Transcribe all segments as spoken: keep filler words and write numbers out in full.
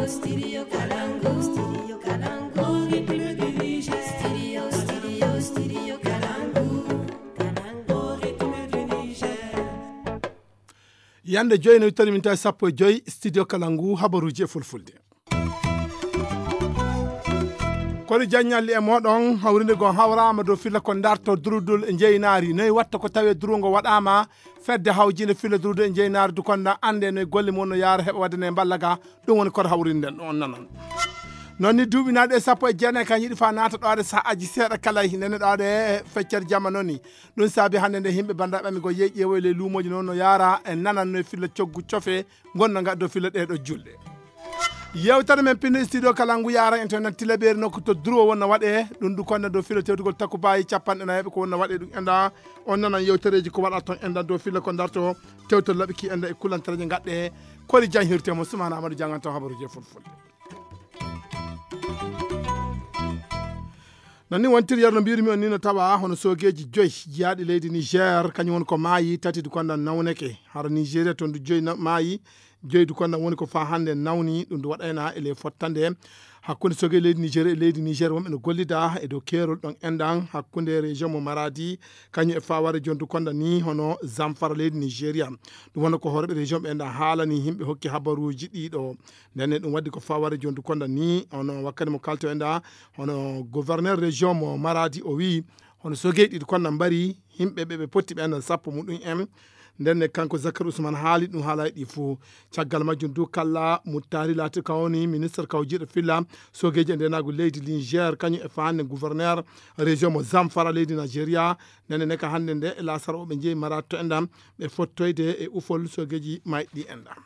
Studio Kalangu. Studio Kalangu. Au rythme du Niger. Studio, studio, studio Kalangu. Kalangu, au rythme du Niger. Yande joyi no wittani min tawi sappo e joyi studio kala ngu habaruji e fulfulde. Kori jaññalli e moɗon hawrinde gon hawrama dow filla ko darto durudol e jeynaari noy watta ko tawi durungo waɗama fedde hawjinde filla durudol e jeynaari dukonda ande noy golle mum no yaara heɓa wadde ne mballa ga. Ɗum woni koto hawrinde ɗon nanon. Noon ni duuɓi naaɗi e sappo e jeenayi kan yiɗi fa naata ɗoade sahaaji seeɗa kala nene ɗoade feccere jamma noon ni. Ɗum saabi hannde nde yimɓe banndiraaɓe amin go yeeƴi e woyle luumooji noon no yaara e nanan no e filla coggu cofe ngonno ngaddo filla ɗee ɗo julɗe. Yewtere men pinno studio kala ngu yaran en to nan tilabeeri nokku to duro wonno waɗe ɗum du konda do filla tewtugol takku baayi capanɗe nayi ko wonno waɗe ɗum enda on nanan yewtereeji ko waɗa ton enda do filla ko darto tewtol laɓi ki enda e kulantareeje ngadde kori janhirte mo sumana amadou jangan ton habaruuje fulfulde. Nani wontiri yarno mbirmi on ni no tawa hono sogeji joy jiyaaɗi leydi Niger kañum woni ko maayi tati du konda nawneke hara Nigeria ton du joy na- maayi joy du konda woni ko fa hannde nawni ɗum du waɗayna e ley fottande hakkunde sogeji leydi Niger e leydi Niger wonɓe no gollida e dow keerol ɗon enɗan hakkunde région mo Maradi kañum e faware jon du konda ni hono Zamfara leydi Nigeria. Ɗum wonno ko horeɓe région ɓe enɗan haalani yimɓe hokki habaruji ɗiɗo. Ndenne ɗum waddi ko faware jondu konda ni hono wakkati mo kalto en da hono gouverneur région mo Maradi o wi hono sogey ɗiɗi konda mbari yimɓe ɓe ɓe potti ɓe enɗan sappo muɗum en. Ndenne kanko Zakar Ousmane haali ɗum haala ɗi fo. Caggal majjum du kalla muttari laati ka woni ministre kawjiɗo filla sogeji e ndenagu leydi Niger kañum e fande gouverneur région mo Zamfara leydi Nigeria. Ndenne ne ka hannde nde e lasara o ɓe jeeyi Maradi to enɗan ɓe fottoyde e ufol sogeji mayɗi enɗan.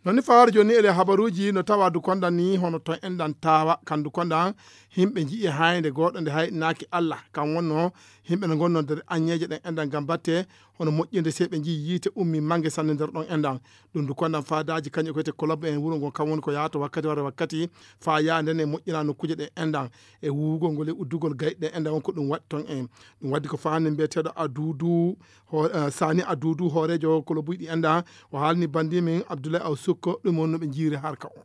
Noon ni fawaade jooni ele habaruuji no tawa du kondan ni hono to enɗan tawa kan du kondan yimɓe nji'i haynde gooɗo nde hayɗinaaki Allah kan wonno yimɓe no ngonno nder aññeeje ɗen enɗan ngam batte hono moƴƴinde sey ɓe nji'i yiite ummi mange sanne nder ɗon enɗan. Ɗum du kondan faadaaji kañum ko wiyete kolob en wuro ngon kam woni ko yahata wakkati wara wakkati faa yaha nden e moƴƴina nokkuuje ɗe enɗan e wuwugol ngol e uddugol gayɗe ɗe enɗan won ko ɗum waɗi ton en. Ɗum waddi ko faande mbiyeteeɗo aduudu Sani Aduudu hooreejo kolobuuji ɗi enda o haalni banndiimen Abdoulaye Aw Sukko ɗum woni no ɓe njiiri harka o.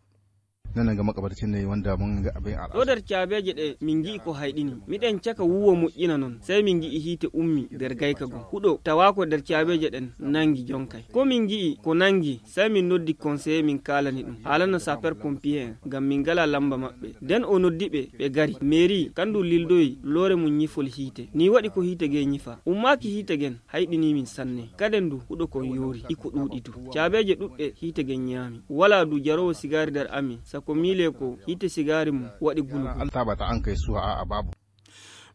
Nana nga makabata cinnayi wonda mun nga abin ala. Ɗo nder caabeeje ɗe min ngi'i ko hayɗini miɗen caka wuwo moƴƴina non sey min ngi'i hiite ummi nder gayka gom huɗo tawa ko nder caabeeje ɗen nangi jonkay ko min ngi'i ko nangi sey min noddi konseye min kaalani ɗum haalana saper pompier en ngam min ngala lamba maɓɓe nden o noddi ɓe ɓe gari mairie kandu lildoyi loore mum ñifol hiite ni waɗi ko hiite ge ñifa ummaaki hiite gen hayɗini min sanne kaden du huɗo kon yoori iko ɗuuɗi du caabeeje ɗuɗɗe hiite gen ñaami wala du jaroowo sigaari nder amin sako miile ko hiite sigaari mum waɗi gulugulu. Tabata an kay suha a babu.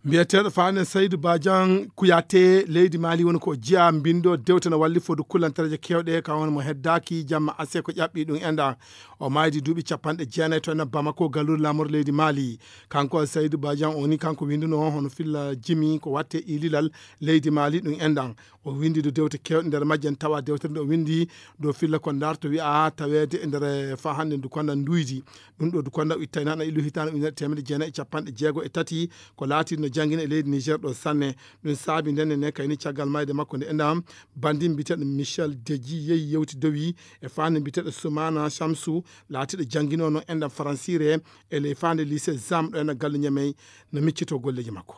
Mbiyeteeɗo faane Saydu Badian Kuyate leydi Mali woni ko jeya mbindo dewte no walli fodu kullantareeje kewɗe ka woni mo heddaaki jamma ase ko ƴaɓɓi ɗum enda o maydi duuɓi capanɗe jeenayi to ena Bamako galluure laamorde leydi Mali. Kanko Saydu Badian o ni kanko winduno hono filla jimi ko watte ililal leydi Mali ɗum enɗan o windi do dewte kewɗe nder majje en tawa dewtere nde o windi do filla ko darto wi'a taweede e nder fa hannde ndu konda nduydi. Ɗum ɗo du konda ittayna na ilu hitande ujunere teemedde jeenayi e capanɗe jeego e tati ko laati no jangina e leydi Niger ɗo sanne. Ɗum saabi ndenne ne kayni caggal mayde makko nde enɗan bandi mbiyeteɗo Michel Deji yehi yewti dowi e fande mbiyeteɗo Soumana Shamsou laatiɗo janginono enɗan faransire e ley fande lycée Zam ɗo ena galle Ñamey no miccito golleji makko.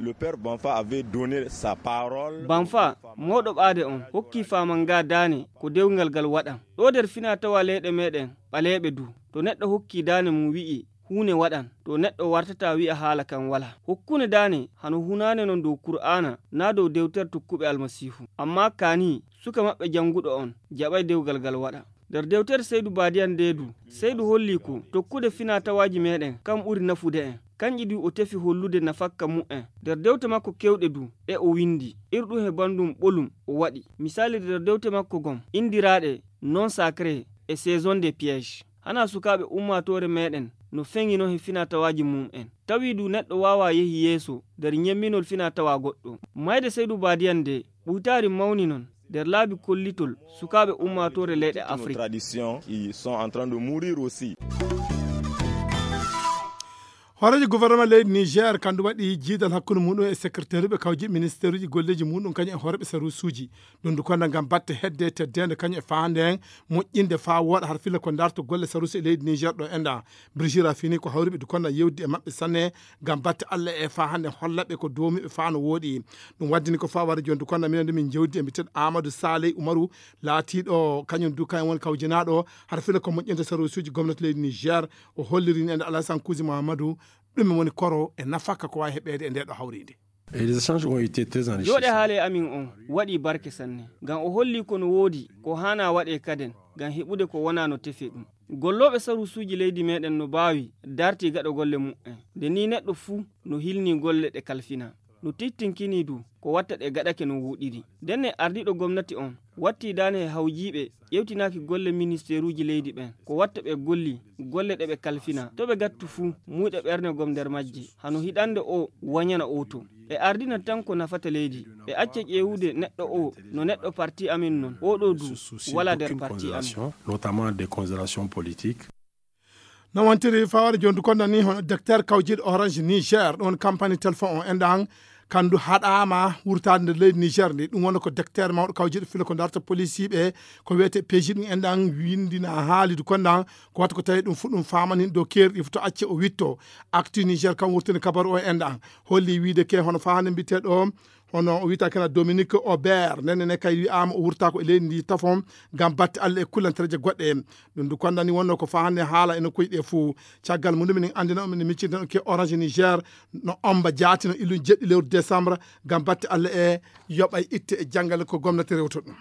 Le père Banfa avait donné sa parole. Banfa moɗo ɓaade on hokki faama nga daane ko dewgal gal waɗan ɗo nder fina tawa leyɗe meɗen ɓaleeɓe du to neɗɗo hokki daane mum wi'i huune waɗan to neɗɗo wartata wi'a haala kan wala hokkune daane hano hunaane non dow kur'aana na dow dewtere tokkuɓe almasiihu amma kaani suka maɓɓe janguɗo on jaɓay dewgal gal waɗa. Nder dewtere Seydu Baadiyan ndee du, Seydu hollii ko tokkude finaa-tawaaji meeɗen kan ɓuri nafude en. Kanƴi du o tefi hollude nafakka mu'en. Nder dewte makko keewɗe du, ɗe o winndi, irɗum he banndum ɓolum o waɗi misaali nder dewte makko gom inndiraaɗe Non sacré e Saison des pièges. Hanaa sukaaɓe ummaatoore meeɗen no feŋinoo he finaa-tawaaji mum'en. Tawi du neɗɗo waawaa yehi yeeso nder ñemminol finaa-tawaa goɗɗo. Maayde Seydu Baadiyan ndee, ɓuytaari mawni non nder laabi kollitol sukaaɓe ummaatoore leyɗe Afrik. Tradition, ils sont en train de mourir aussi. Hooreejo gouvernement leydi Niger kandu waɗi jiidal hakkunde muɗum e secrétaire ɓe kawji ministère uji golleji muɗum kañum e hooreɓe sarusuji. Ɗum du konda ngam batte hedde teddeende kañum e faande en moƴƴinde faa wooɗa har filla ko darto golle sarusi e leydi Niger ɗo enda. Brigira fini ko hawriɓe du konda yewdi e maɓɓe sanne ngam batte Allah e faa hannde hollaɓe ko doomiɓe faa no wooɗi. Ɗum waddini ko faa wara jooni du konda minen du min jewdi e mbiteɗo Amadou Saleh Umaru laatiɗo kañum du kañum woni kawjinaaɗo har filla ko moƴƴinde sarusuji gomnati leydi Niger. O holliri ni ende Alassane Kouzi Mahamadou ɗum woni koro e nafaka ko wawi heɓeede e nde ɗo hawriinde. Et les échanges ont été très enrichissants. Jooɗe haale amin on waɗi barke sanne, ngam o holli ko no woodi ko haana waɗe kaden ngam heɓude ko wona no tefe ɗum. Gollooɓe sarusuuji leydi meɗen no baawi darti gaɗo golle mu'en. Nde ni neɗɗo fuu no hilni golle ɗe kalfina. No tittinkini du ko watta ɗe gaɗake no wuuɗiri. Ndenne ardiiɗo gomnati on watti daane he hawjiiɓe ƴewtinaaki golle ministeeruuji leydi ɓen. Ko watta ɓe golli golle ɗe ɓe kalfina. To ɓe gattu fuu muuyɗe ɓerne gom nder majje. Hano hiɗande o wañana o to. Ɓe ardina tan ko nafata leydi. Ɓe acca ƴeewude neɗɗo o no neɗɗo parti amin non. Oɗo du wala nder parti amin. Notamment des considérations politiques. No wontiri fawade joni du konda ni hono docteur kawjiɗo Orange Niger ɗon campagne téléphone on enɗan kandu haɗama wurtade nder leydi Niger ndi. Ɗum wonno ko docteur mawɗo kawjiɗo filo ko darta policiɓe ko wiyete peji ɗum enɗan windina haali du kondan ko watta ko tawi ɗum fu ɗum famani dow keeri ɗi fu to acce o witto. Actu Niger kam wurtini kabaru o enɗan holli wiide ke hono fahande mbiteɗo hono o wiyta kena Dominique Aubert nene ne kay wi'ama o wurta ko e leydi ndi tafon ngam batte Allah e kullantereje goɗɗe. Ɗum du kondani wonno ko fahande haala e nokkuji ɗe fuu. Caggal mum ɗum minen andina on minen miccirten on ke Orange Niger no omba jaati no illum jeɗɗi lewru décembre ngam batte Allah e yoɓay itte e janngal ko gomnati rewto ɗum.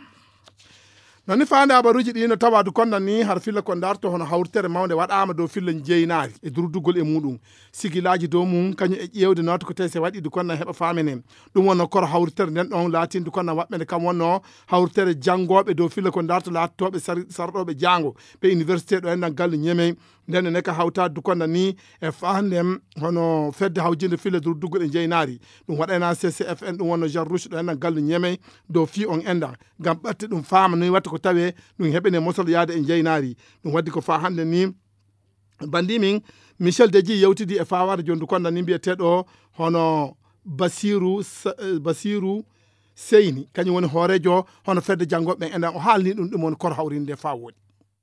Nani faande habaruuji ɗi no tawa du konda ni har filla ko darto hono hawritere mawnde waɗaama dow filla njeynaari e durduggol e muɗum. Sigilaaji dow mum kañum e ƴeewde nawta ko tawi se waɗi du konda heɓa faamene. Ɗum wonno koro hawritere nden ɗon laatinde du konda waɓɓe nde kam wonno hawritere janngooɓe dow filla ko darto laattooɓe sar- sarɗooɓe jaango ɓe université ɗo enɗan gallu ñemey. Nden ne ka hawtaade du konda ni e faandem hono fedde hawjinde filla durduggol e njeynaari. Ɗum waɗayna C C F N ɗum wonno Jean Rouge ɗo enɗan gallu ñemey dow fii on enɗan. Ngam ɓatte ɗum faama noy watta ko tawe ɗum heɓene mosol yaade e njeynaari. Ɗum waddi ko faa hannde ni bandi min Michel Deji yewtidi e fawade jondu konda ni mbiyeteɗo hono Basiru Sa- eh, Basiru Seyni kañum woni hoorejo hono fedde janngoɓe ɓen enɗan o haalni ɗum ɗum woni kor hawrinde faa wooɗi.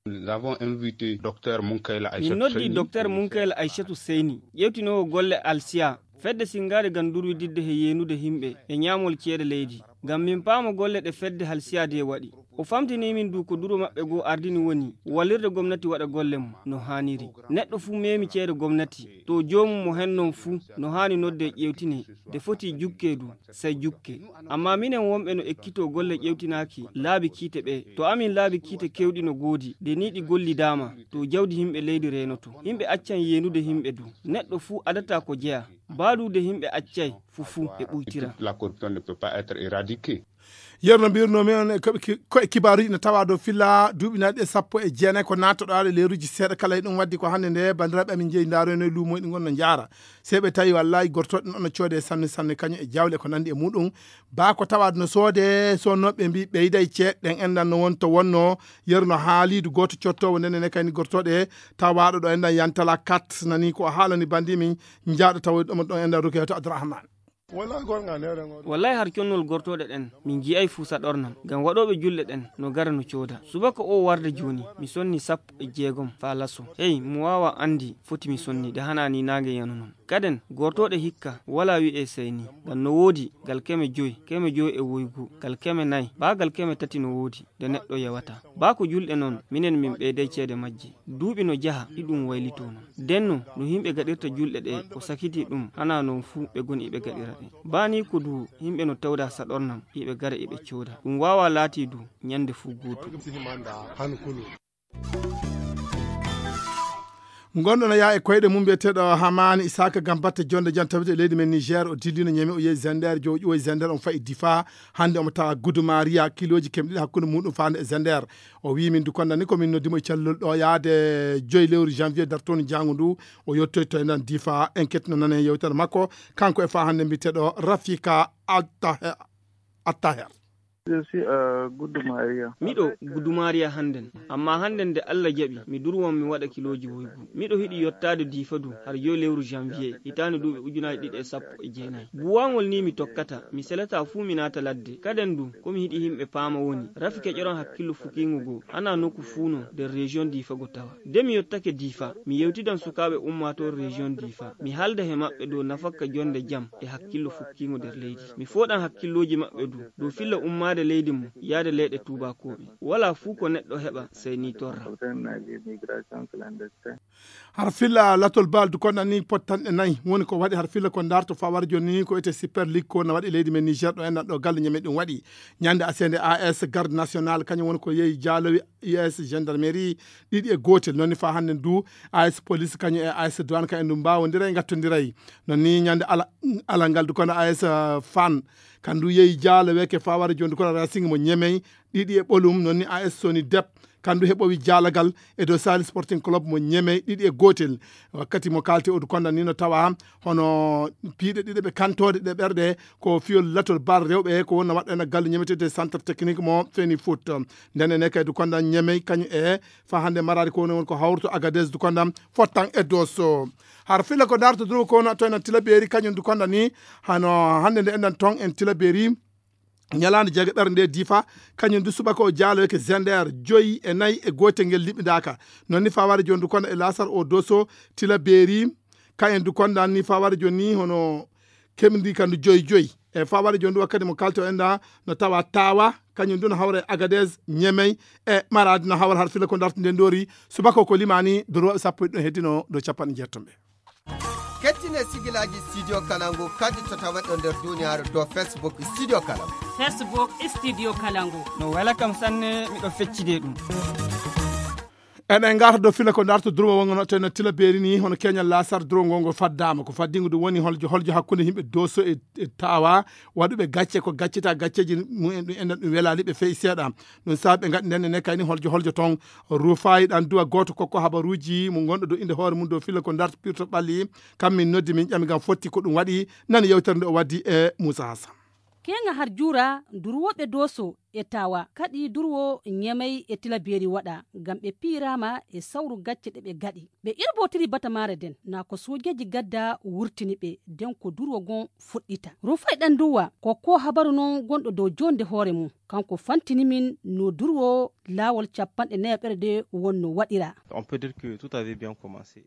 Nous avons invité Dr Munkayla Min Aïssatou noddi Seyni. Dr Munkayla Aïssatou Seyni ƴewtinowo golle Alsiya fedde singaade ngam durwididde he yeenude himɓe e ñaamol ceede leydi ngam min paama golle ɗe fedde halsiya de waɗi. O famtini min du ko duro maɓɓe goo ardini woni wallirde gomnati waɗa golle mum no haaniri. Neɗɗo fuu meemi ceede gomnati to joomum mo hen non fuu no haani nodde ƴewtine de foti jukke du sey jukke. Amma minen wonɓe no ekkitoo golle ƴewtinaaki laabi kiite ɓee, to amin laabi kiite keewɗi no goodi de ni ɗi gollidaama to jawdi himɓe leydi reenoto. Himɓe accan yeenude himɓe du. Neɗɗo fuu adataa ko jeyaa. Baaduude himɓe accay fufuu e ɓuytira. La corruption ne peut pas être éradiquée. Yeru no mbirno men ko e kibaaruji no tawa dow filla duuɓi naɗi e sappo e jeenayi ko nattoɗo aɗa leeruji seeɗa kala e ɗum waddi ko hannde nde bandiraɓe amin jeeyi ndaroyno e luumoyɗi gonno jaara. Sey ɓe tawi wallahi gortoɗen ono coode sanne sanne kañum e jawle ko nandi e muɗum. Ba ko tawa no soode sonnoɓe mbi ɓeyday ceeɗɗen enɗan no wonto wonno yeru no haalidu goto cottowo ndene ne kayni gortoɗe tawaɗo ɗo enɗan yantala kat nani ko haalani bandi min jaaɗo tawoyɗo ɗon enɗan rukiyatu abdourahmane. Wallahi har connol gortooɗe ɗen min ji'ay fuu saɗornam ngam waɗooɓe julɗe ɗen no gara no cooda. Subaka oo warde jooni mi sonni sappo e jeegom faa laso. Hey, mo waawa anndi foti mi sonni de hanaa ni naange yano non. Kaden gortooɗe hikka walaa wi'ee sey ni ngam no woodi gal keme joy, keme joy e woygu, gal keme nay, baa gal keme tati no woodi. Nde neɗɗo yewata. Baa ko julɗe non, minen min ɓeyday ceede majje. Duuɓi no jaha, iɗum waylitoo non. Nden non, no yimɓe gaɗirta julɗe ɗe, o sakitii ɗum, hanaa non fuu ɓe goni iɓe gaɗira ɗe. Baa nii ko du yimɓe no tawda saɗornam, iɓe gara iɓe cooda. Ɗum waawaa laatii du ñannde fuu gootum. Gonɗo no yaa e koyɗe mum mbiyeteeɗo Hamani Isaka ngam batte jonde jam tawete e leydi men Niger, o dillino Ñeme, o yehi Zender, jo o ƴiwoyi Zender, omo fayi Difa. Hannde omo tawa Gudumariya, kilooji kemɗe ɗiɗi hakkunde muɗum faande e Zender. O wii min du konda ni ko min noddi mo e cellol ɗo yaade joyi lewru janvier dartoon njaangu ndu. O yettoyto e nden Difa, enquête no nane yewtere makko. Kanko e faa hannde mbiyeteeɗo Rafika Attahe- Attaher. Miɗo Gudumaariya hannden, ammaa hannden nde Alla jaɓi mi durwan mi waɗa kilooji woygu. Miɗo hiɗi yottaade Diifa du har joy lewru janvier hitaande duuɓi ujunaaji ɗiɗi e sappo e jeenayi. Buwaŋol ni mi tokkata, mi selataa fuu mi naata ladde. Kaden du, ko mi hiɗi himɓe paama woni, rafi keƴoran hakkillo fukiiŋo go, hanaa nokku fuu no nder rejiyon Diifa go tawa. De mi yottake Diifa, mi yewtidan sukaaɓe ummaatoore rejiyon Diifa. Mi haalda he maɓɓe dow nafakka jonnde jam e hakkillo fukkiiŋo nder leydi. Mi fooɗan hakkillooji maɓɓe du dow filla ummaade leydi mum yaade leyɗe tuubaakooɓe. Walaa fuu ko neɗɗo heɓa sey ni torra. Har filla latol bal du konda ni pottanɗe nayi woni ko waɗi har filla ko darto faa wara jooni ni ko wiyetee Super League ko na waɗi leydi men Niger ɗo enɗan ɗo galle Niamey ɗum waɗi. Ñande aseende A S Garde Nationale kañum woni ko yehi jaalowi U S gendarmerie ɗiɗi e gootel. Noon ni faa hannden du A S Police kañum e A S Douane kañum en du mbaawondiray ngattondiray. Noon ni ñande ala, alangal du kono A S Fann kan du yehi jaaloweeke faa wara jooni du kono Racing mo Niamey ɗiɗi e ɓolum. Noon ni A S Sony Dep kan du heɓowi jaalagal e dow Sahel Sporting Club mo Niamey ɗiɗi e gootel. Wakkati mo kaalte o du konda ni no tawa hono piiɗe ɗiɗe ɓe kantoode ɗe ɓerɗe ko fiyol latol bal rewɓe ko wonna waɗɗo en gallu ñametede centre technique mo Feni Foot. Nden ene kay du konda Niamey kañum e faa hannde maraade ko woni won ko hawruto Agadez du konda fottan e Dosso. Har filla ko darto duro ko wona to en Tilaberi kañum du konda ni hano hannde nde enɗan ton en Tilaberi. Ñalaande jeegaɓere nde Diifa kañum du subaka o jaaloyke Zender joyi e nayi e gootel ngel liɓindaaka. Noon ni faa wara jooni du konda e Laasar o Dosso Tilaberi. Kañum du konda ni faa wara jooni ni hono kemndi kan du joyi joyi. E faa wara jooni du wakkati mo kaalte o enɗan no tawa Tawa kañum du no hawra e Agadez Niamey e Maradi no hawra har filla ko darto nde ndoori subaka o ko limaani durooɓe sappo e ɗiɗo heddino dow capanɗe jeetto ɓe. Kettine sigilaaji Studio Kalangu kadi to taweɗo nder duniyaaru dow Facebook Studio Kalangu. Facebook Studio Kalangu. No wela kam sanne miɗo feccide ɗum. Eɗen ngarta dow filla ko darto durwo wongo no teno Tilaberi ni hono keñal Laasar durwo ngo ngo faddaama ko faddingo ɗum woni holjo holjo hakkunde yimɓe Dosso e, e Tawa waɗuɓe gacce ko gaccita gacceeji mumen ɗum enɗan ɗum welaali ɓe fey seeɗa. Ɗum saabi ɓe ngaɗi nden ene kayni holjo holjo toon Rufaayi ɗan duwa gooto kokko habaruuji mo ngonɗo dow innde hoore mum dow filla ko darto pirto ɓalli. Kam min noddi min ƴami ngam fotti ko ɗum waɗi nani yewtere nde o waddi e Muusa Hasan. Keeŋa har juura durwooɓe Dosso e Tawa kaɗi durwo Niamey e Tilaberi waɗa ngam ɓe piiraama e sawru gacce ɗe ɓe gaɗi. Ɓe irbotiri batamaare nden naa ko soojeeji gadda wurtini ɓe nden ko durwo gon fuɗɗita. Rufay ɗan duwa ko ko habaru non gonɗo dow jonde hoore mum. Kanko fantini min no durwo laawol capanɗe nayaɓere de wonno waɗira. On peut dire que tout avait bien commencé.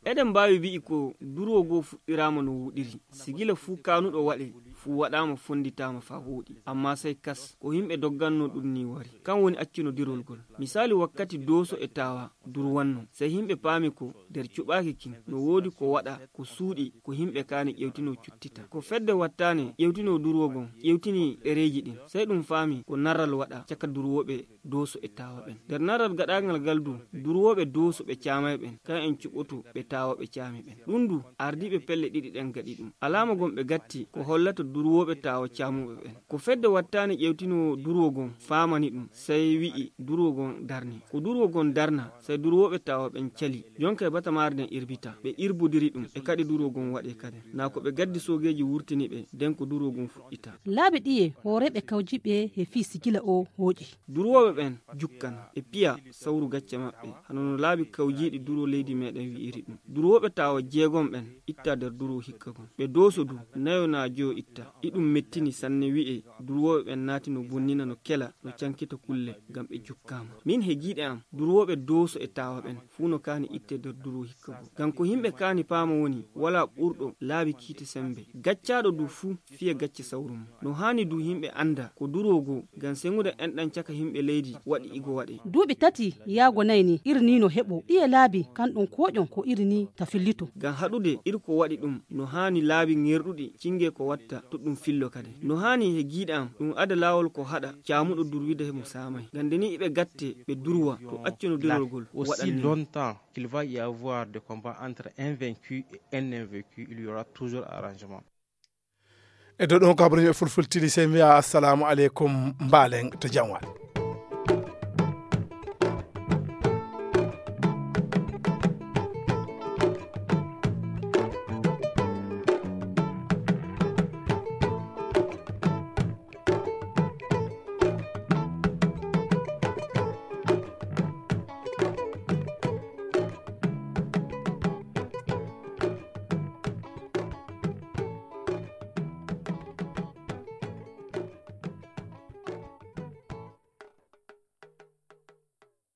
Eɗen mbaawi wi'i ko durwo goo fuɗɗiraama no wooɗiri. Si gila fuu kaanuɗo waɗe, fuu waɗaama fonnditaama faa wooɗi. Ammaa sey kas, ko yimɓe doggannoo ɗum nii wari. Kan woni accunodirol ngol. Misaali wakkati Dooso e Taawa durwanno, sey yimɓe paami ko nder cuɓaaki kin no woodi ko waɗa ko suuɗi ko yimɓe kaani ƴewtinoo cuttita. Ko fedde wattaane ƴewtinoo durwo ngon, ƴewtini ɗereeji ɗin. Sey ɗum faami ko narral waɗaa caka durwooɓe Dooso e Taawa ɓen. Nder naral gaɗaangal ngal du, durwooɓe Dooso ɓe caamay ɓen, kan en cuɓoto ɓe Taawa ɓe caami ɓen. Ɗum du, ardiiɓe pelle ɗiɗi ɗen gaɗi ɗum. Alaama gom ɓe gatti ko hollata durwooɓe Taawa caamuɓe ɓen. Ko fedde wattaane ƴewtinoo durwo gon faamani ɗum, sey wi'i durwo gon darni. Ko durwo gon darna, sey durwooɓe Taawa ɓen cali. Jonka e batamaare nden irbita, ɓe irbodiri ɗum e kaɗi durwo gon waɗe kaden. Naa ko ɓe gaddi soogeeji wurtini ɓe, nden ko durwo gon fuɗɗita. Laabi ɗiye hooreeɓe kawjiiɓe he fii sigila oo hooƴi? Durwooɓe ɓen jukkan, ɓe piya sawru gacce maɓɓe, hano no laabi kawjiiɗi durwo leydi meeɗen wi'iri ɗum. Durwooɓe Taawa jeegom ɓen itta nder durwo hikka gon. Ɓe Dooso du, nayo naa joyo itta. Iɗum mettini sanne wi'ee durwooɓe ɓen naati no bonnina, no kela, no cankita kulle, ngam ɓe jukkaama. Min he giiɗe am, durwooɓe Dooso e Taawa ɓen fuu no kaani ittee nder durwo hikka goo. Ngam ko yimɓe kaani paama woni, walaa ɓurɗo laabi kiite semmbe. Gaccaaɗo du fuu fiya gacce sawru mum. No haani du yimɓe annda ko durwo goo, ngam seŋude enɗan caka yimɓe leydi waɗi igo waɗee. Duuɓi tati yaago nay ni, iri nii no heɓoo. Ɗiye laabi kan ɗum kooƴon ko iri nii ta fillito? Ngam haɗude iri ko waɗi ɗum, no haani laabi ŋerɗuɗi cingee ko watta to ɗum fillo kaden. No haani he giiɗe am ɗum ada laawol ko haɗa caamuɗo durwida he mo saamay. Ngam nde nii iɓe gattee ɓe durwa to accunodirol ngol waɗa nii. Aussi longtemps qu'il va y avoir des combats entre un vaincu et un invaincu, il y aura toujours arrangement. E dow ɗum ko habaruuji e fulfulde, sey mbiya assalamu aleykum, mbaalen to jam waɗ.